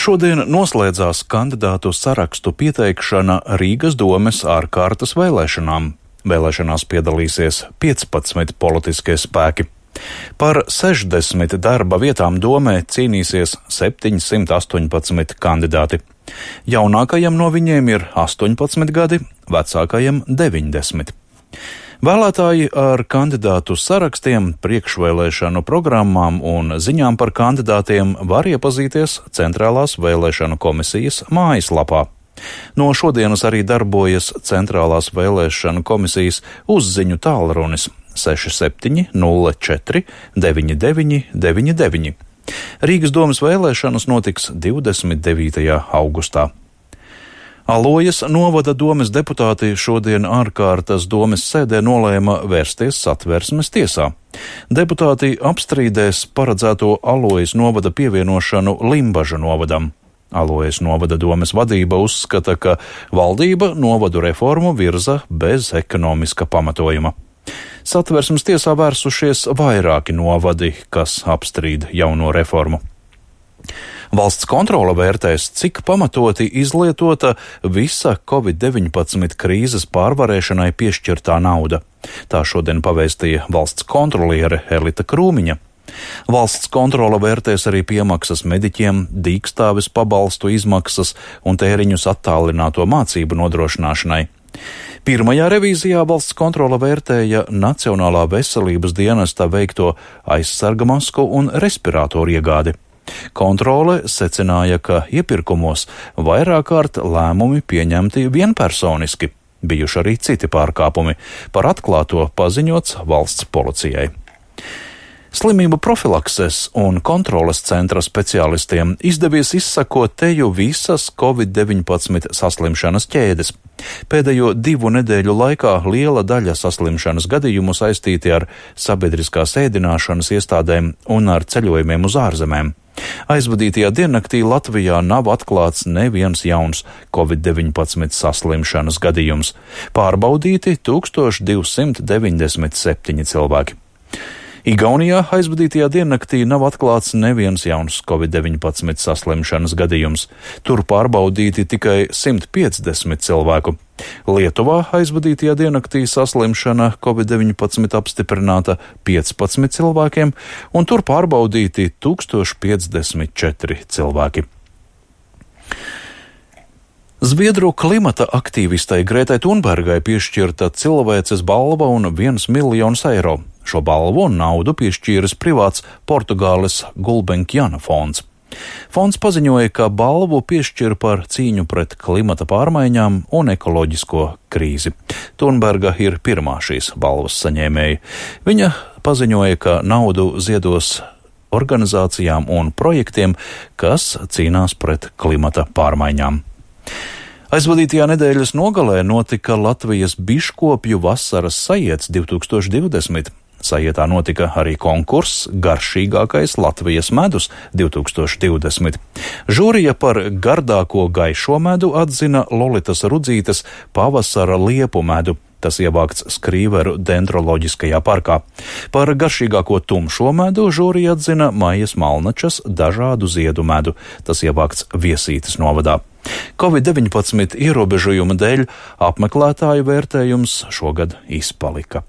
Šodien noslēdzās kandidātu sarakstu pieteikšana Rīgas domes ārkārtas vēlēšanām. Vēlēšanās piedalīsies 15 politiskie spēki. Par 60 darba vietām domē cīnīsies 718 kandidāti. Jaunākajam no viņiem ir 18 gadi, vecākajam 90. Vēlētāji ar kandidātu sarakstiem, priekšvēlēšanu programmām un ziņām par kandidātiem var iepazīties Centrālās vēlēšanu komisijas mājaslapā. No šodienas arī darbojas Centrālās vēlēšanu komisijas uzziņu tālrunis 67 04 99 99. Rīgas domes vēlēšanas notiks 29. augustā. Alojas novada domes deputāti šodien ārkārtas domes sēdē nolēma vērsties Satversmes tiesā. Deputāti apstrīdēs paredzēto Alojas novada pievienošanu Limbaža novadam. Alojas novada domes vadība uzskata, ka valdība novadu reformu virza bez ekonomiska pamatojuma. Satversmes tiesā vērsušies vairāki novadi, kas apstrīd jauno reformu. Valsts kontrole vērtēs, cik pamatoti izlietota visa Covid-19 krīzes pārvarēšanai piešķirtā nauda. Tā šodien pavēstīja valsts kontroliere Elita Krūmiņa. Valsts kontrole vērtēs arī piemaksas mediķiem, dīkstāves pabalstu izmaksas un tēriņus attālināto mācību nodrošināšanai. Pirmajā revīzijā valsts kontrole vērtēja Nacionālā veselības dienesta veikto aizsarga masku un respiratoru iegādi. Kontrole secināja, ka iepirkumos vairāk kārt lēmumi pieņemti vienpersoniski, bijuši arī citi pārkāpumi, par atklāto paziņots valsts policijai. Slimību profilakses un kontroles centra speciālistiem izdevies izsakot teju visas Covid-19 saslimšanas ķēdes. Pēdējo 2 nedēļu laikā liela daļa saslimšanas gadījumu saistīti ar sabiedriskās ēdināšanas iestādēm un ar ceļojumiem uz ārzemēm. Aizvadītajā diennaktī Latvijā nav atklāts neviens jauns Covid-19 saslimšanas gadījums. Pārbaudīti 1297 cilvēki. Igaunijā aizvadītajā diennaktī nav atklāts neviens jauns Covid-19 saslimšanas gadījums. Tur pārbaudīti tikai 150 cilvēku. Lietuvā aizvadītajā diennaktī saslimšana Covid-19 apstiprināta 15 cilvēkiem, un tur pārbaudīti 1054 cilvēki. Zviedru klimata aktīvistai Grētai Thunbergai piešķirta cilvēces balva un 1 miljons eiro. Šo balvu un naudu piešķīris privāts Portugāles Gulbenkiana fonds. Fonds paziņoja, ka balvu piešķir par cīņu pret klimata pārmaiņām un ekoloģisko krīzi. Thunberga ir pirmā šīs balvas saņēmēja. Viņa paziņoja, ka naudu ziedos organizācijām un projektiem, kas cīnās pret klimata pārmaiņām. Aizvadītajā nedēļas nogalē notika Latvijas biškopju vasaras sajiets 2020. Sajietā notika arī konkurss Garšīgākais Latvijas medus 2020. Žūrija par gardāko gaišo medu atzina Lolitas Rudzītes pavasara liepu medu. Tas ievākts Skrīveru dendroloģiskajā parkā. Par garšīgāko tumšo medu žūrija atzina Maijas Malnačas dažādu ziedu medu. Tas ievākts Viesītes novadā. Covid-19 ierobežojuma dēļ apmeklētāju vērtējums šogad izpalika.